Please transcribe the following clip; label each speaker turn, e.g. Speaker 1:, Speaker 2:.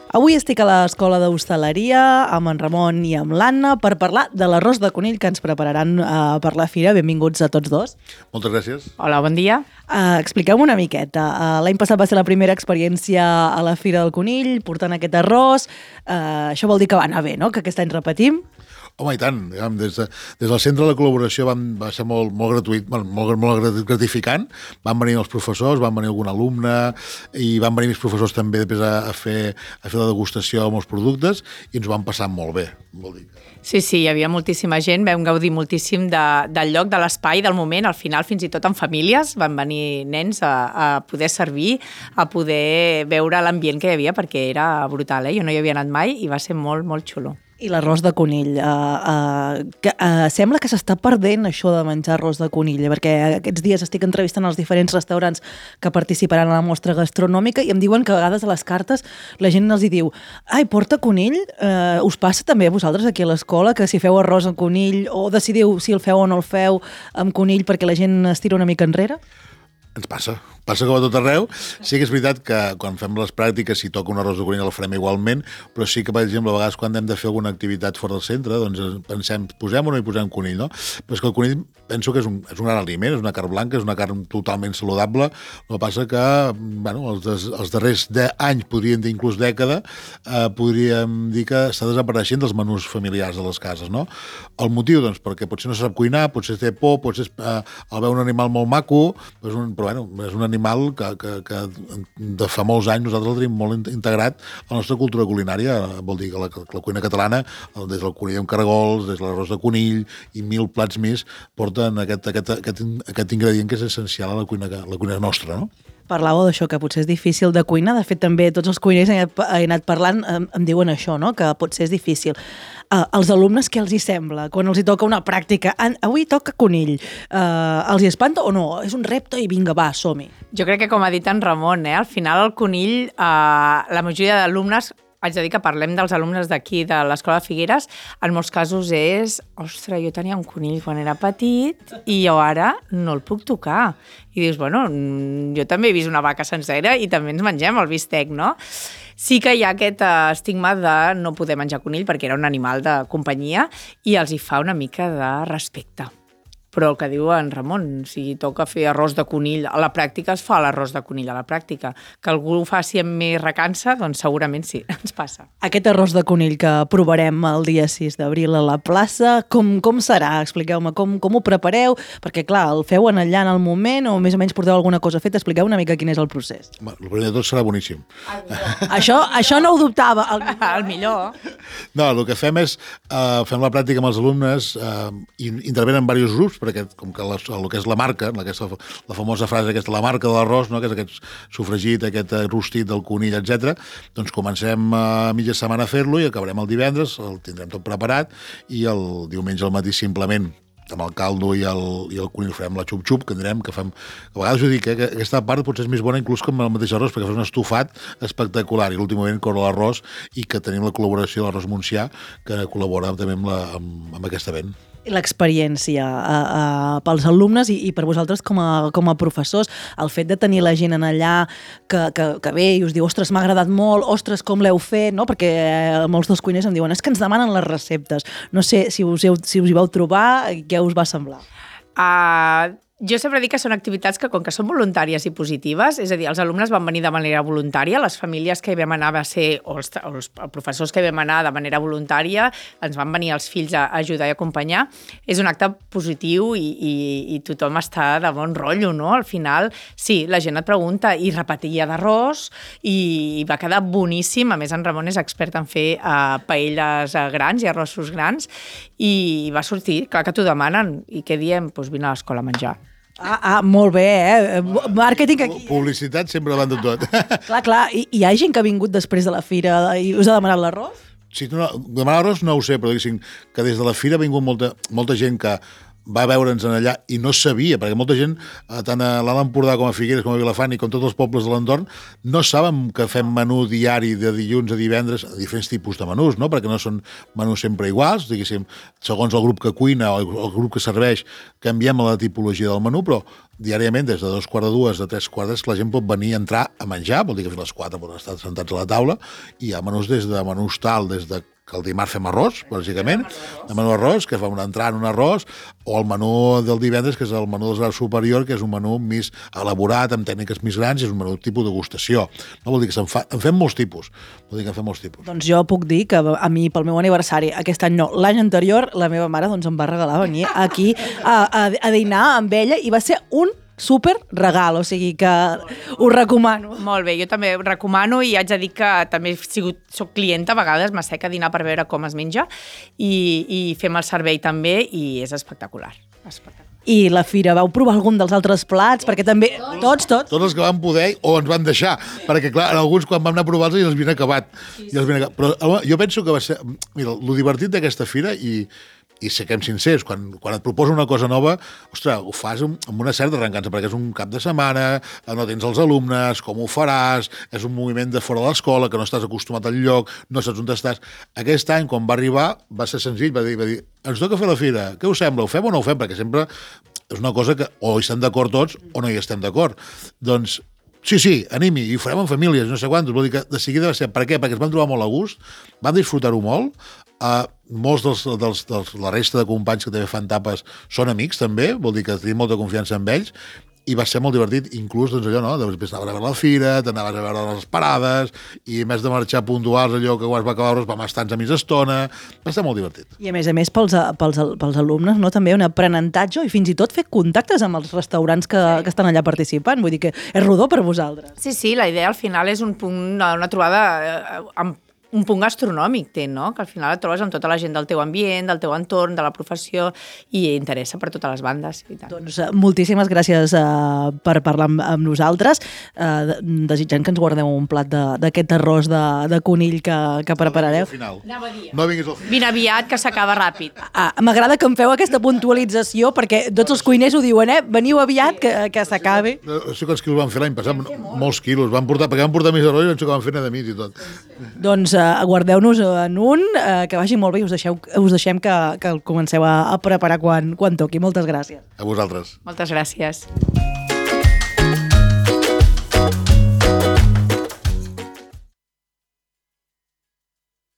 Speaker 1: Avui estic a l'Escola d'Hostaleria amb en Ramon i amb l'Anna per parlar de l'arròs de conill que ens prepararan per la fira. Benvinguts a tots dos.
Speaker 2: Moltes gràcies.
Speaker 3: Hola, bon dia.
Speaker 1: Expliqueu-me una miqueta. L'any passat va ser la primera experiència a la Fira del Conill, portant aquest arròs. Això vol dir que va anar bé, no? Que aquest any repetim.
Speaker 2: Home, i tant. Des del centre de la col·laboració va ser molt gratuït, molt gratificant. Van venir els professors, van venir algun alumne i van venir més professors també després a fer la degustació amb els productes i ens ho vam passar molt bé, vol dir.
Speaker 3: Sí, hi havia moltíssima gent, vam gaudir moltíssim del lloc, de l'espai, del moment, al final fins i tot en famílies van venir nens a poder servir, a poder veure l'ambient que hi havia perquè era brutal, Jo no hi havia anat mai i va ser molt, molt xulo.
Speaker 1: I l'arròs de conill. Sembla que s'està perdent això de menjar arròs de conill, perquè aquests dies estic entrevistant els diferents restaurants que participaran a la mostra gastronòmica i em diuen que a vegades a les cartes la gent els hi diu ai, porta conill? Us passa també a vosaltres aquí a l'escola que si feu arròs amb conill o decidiu si el feu o no el feu amb conill perquè la gent es tira una mica enrere?
Speaker 2: Ens passa que va a tot arreu. Sí que és veritat que quan fem les pràctiques, si toca un arròs de conill el farem igualment, però sí que, per exemple, a vegades quan hem de fer alguna activitat fora del centre, doncs pensem, posem o no hi posem conill, no? Però és que el conill penso que és un gran aliment, és una carn blanca, és una carn totalment saludable. El que passa que, els darrers anys, podríem dir inclús dècada, podríem dir que està desapareixent dels menús familiars de les cases, no? El motiu, doncs, perquè potser no sap cuinar, potser té por, potser el veu un animal molt maco, però és un animal que de fa molts anys nosaltres el tenim molt integrat a la nostra cultura culinària. Vol dir que la cuina catalana, des del conill amb caragols, des de l'arròs de conill i 1000 plats més, porten aquest ingredient que és essencial a la cuina nostra, no?
Speaker 1: Parlàveu d'això, que potser és difícil de cuinar. De fet, també tots els cuiners he anat parlant em diuen això, no? Que potser és difícil. Els alumnes, què els hi sembla? Quan els hi toca una pràctica, avui toca conill, els hi espanta o no? És un repte i vinga, va, som-hi.
Speaker 3: Jo crec que, com ha dit en Ramon, al final el conill, la majoria d'alumnes, haig de dir que parlem dels alumnes d'aquí, de l'Escola de Figueres, en molts casos és, ostres, jo tenia un conill quan era petit i jo ara no el puc tocar. I dius, bueno, jo també he vist una vaca sencera i també ens mengem el bistec, no? Sí que hi ha aquest estigma de no poder menjar conill perquè era un animal de companyia i els hi fa una mica de respecte. Però el que diu en Ramon, si toca fer arròs de conill, a la pràctica es fa l'arròs de conill a la pràctica. Que algú ho faci amb més recança, doncs segurament sí, ens passa.
Speaker 1: Aquest arròs de conill que provarem el dia 6 d'abril a la plaça, com serà? Expliqueu-me com ho prepareu, perquè clar, el feu allà en el moment o més o menys porteu alguna cosa feta, expliqueu una mica quin és el procés.
Speaker 2: El primer de tot serà boníssim.
Speaker 1: Això no ho dubtava.
Speaker 3: El millor.
Speaker 2: No, el que fem és, fem la pràctica amb els alumnes i intervenen diversos grups, perquè com que el que és la marca, la famosa frase aquesta, la marca de l'arròs, no? Que és aquest sofregit, aquest rostit del conill, etc. Doncs comencem a mitja setmana a fer-lo i acabarem el divendres, el tindrem tot preparat i el diumenge al matí simplement amb el caldo i el conill farem la xup-xup, que direm que fem... A vegades ho dic, que aquesta part potser és més bona inclús com el mateix arròs, perquè fas un estofat espectacular i l'últim moment corre l'arròs i que tenim la col·laboració de l'Arròs Montsià, que col·labora també amb aquest event.
Speaker 1: L'experiència pels alumnes i per vosaltres com a professors, el fet de tenir la gent en allà que ve i us diu, ostres, m'ha agradat molt, ostres, com l'heu fet, no? Perquè molts dels cuiners em diuen, és que ens demanen les receptes. No sé si us hi vau trobar, què us va semblar?
Speaker 3: Jo sempre dic que són activitats que, com que són voluntàries i positives, és a dir, els alumnes van venir de manera voluntària, les famílies que hi vam anar va ser, o els professors que hi vam anar de manera voluntària, ens van venir els fills a ajudar i acompanyar. És un acte positiu i tothom està de bon rotllo, no? Al final, sí, la gent et pregunta i repetia d'arròs i va quedar boníssim. A més, en Ramon és expert en fer paelles grans i arrossos grans i va sortir, clar que t'ho demanen. I què diem? Doncs vine a l'escola a menjar.
Speaker 1: Molt bé, màrqueting aquí.
Speaker 2: Publicitat sempre davant de tot.
Speaker 1: Clar, hi ha gent que ha vingut després de la fira i us ha demanat l'arròs?
Speaker 2: Sí, demanar arròs no ho sé, però diguéssim que des de la fira ha vingut molta gent que va veure'ns allà i no sabia, perquè molta gent, tant a l'Alt Empordà com a Figueres, com a Vilafant i com tots els pobles de l'entorn, no saben que fem menú diari de dilluns a divendres, a diferents tipus de menús, no? Perquè no són menús sempre iguals, diguéssim, segons el grup que cuina o el grup que serveix, canviem la tipologia del menú, però diàriament, des de 2:45 a 3:15, la gent pot venir a entrar a menjar, vol dir que fins a les 4 poden estar sentats a la taula, i hi ha menús des de menús tal, des de que el dimarts fem arròs, bàsicament, el menú arròs, que fa un entrar en un arròs, o el menú del divendres, que és el menú del grau superior, que és un menú més elaborat, amb tècniques més grans, i és un menú tipus degustació. No vol dir que en fem molts tipus. Vol dir que en fem molts tipus.
Speaker 1: Doncs jo puc dir que a mi, pel meu aniversari, aquest any no, l'any anterior, la meva mare doncs, em va regalar venir aquí a dinar amb ella, i va ser un super regal, o sigui que ho recomano.
Speaker 3: Molt bé, jo també ho recomano, i haig de dir que també soc clienta, a vegades m'assec a dinar per veure com es menja, i fem el servei també, i és espectacular.
Speaker 1: I la fira, vau provar algun dels altres plats? Perquè també, tots.
Speaker 2: Tots els que van poder o ens van deixar, perquè clar, alguns quan vam anar a provar-los ja els havien acabat. Però jo penso que va ser... Mira, el divertit d'aquesta fira, i siguem sincers, quan et proposa una cosa nova, ostres, ho fas amb una certa arrencança, perquè és un cap de setmana, no tens els alumnes, com ho faràs, és un moviment de fora de l'escola, que no estàs acostumat al lloc, no saps on estàs. Aquest any, quan va arribar, va ser senzill, va dir, ens toca fer la fira, què us sembla, ho fem o no ho fem? Perquè sempre és una cosa que o hi estem d'acord tots o no hi estem d'acord. Doncs sí, animi, i ho farem en famílies, no sé quantos. Vol dir que de seguida va ser... Per què? Perquè es van trobar molt a gust, van disfrutar-ho molt, molts la resta de companys que també fan tapes són amics també, vol dir que tenim molta confiança en ells, i va ser molt divertit, inclús doncs allò, no? Després anaves a veure la fira, t'anaves a veure les parades, i a més de marxar puntuals, allò que quan es va acabar vam estar a mitja estona, va ser molt divertit.
Speaker 1: I a més pels alumnes, no? També un aprenentatge i fins i tot fer contactes amb els restaurants que estan allà participant, vull dir que és rodó per vosaltres.
Speaker 3: Sí, la idea al final és un punt, una trobada amb un punt gastronòmic, no? Que al final et trobes amb tota la gent del teu ambient, del teu entorn, de la professió, i interessa per totes les bandes. I tant.
Speaker 1: Doncs moltíssimes gràcies per parlar amb nosaltres, desitjant que ens guardeu un plat d'aquest arròs de conill que preparareu.
Speaker 2: No vinguis al final.
Speaker 3: Vine aviat, que s'acaba ràpid.
Speaker 1: M'agrada que em feu aquesta puntualització, perquè tots els cuiners ho diuen, veniu aviat, que s'acabi.
Speaker 2: No sé quants quilos van fer l'any passat, molts quilos, perquè van portar més arròs i no sé què van fer de mig i tot.
Speaker 1: Doncs guardeu-nos en un, que vagi molt bé, i us deixem que el comenceu a preparar quan toqui. Moltes gràcies.
Speaker 2: A vosaltres.
Speaker 3: Moltes gràcies.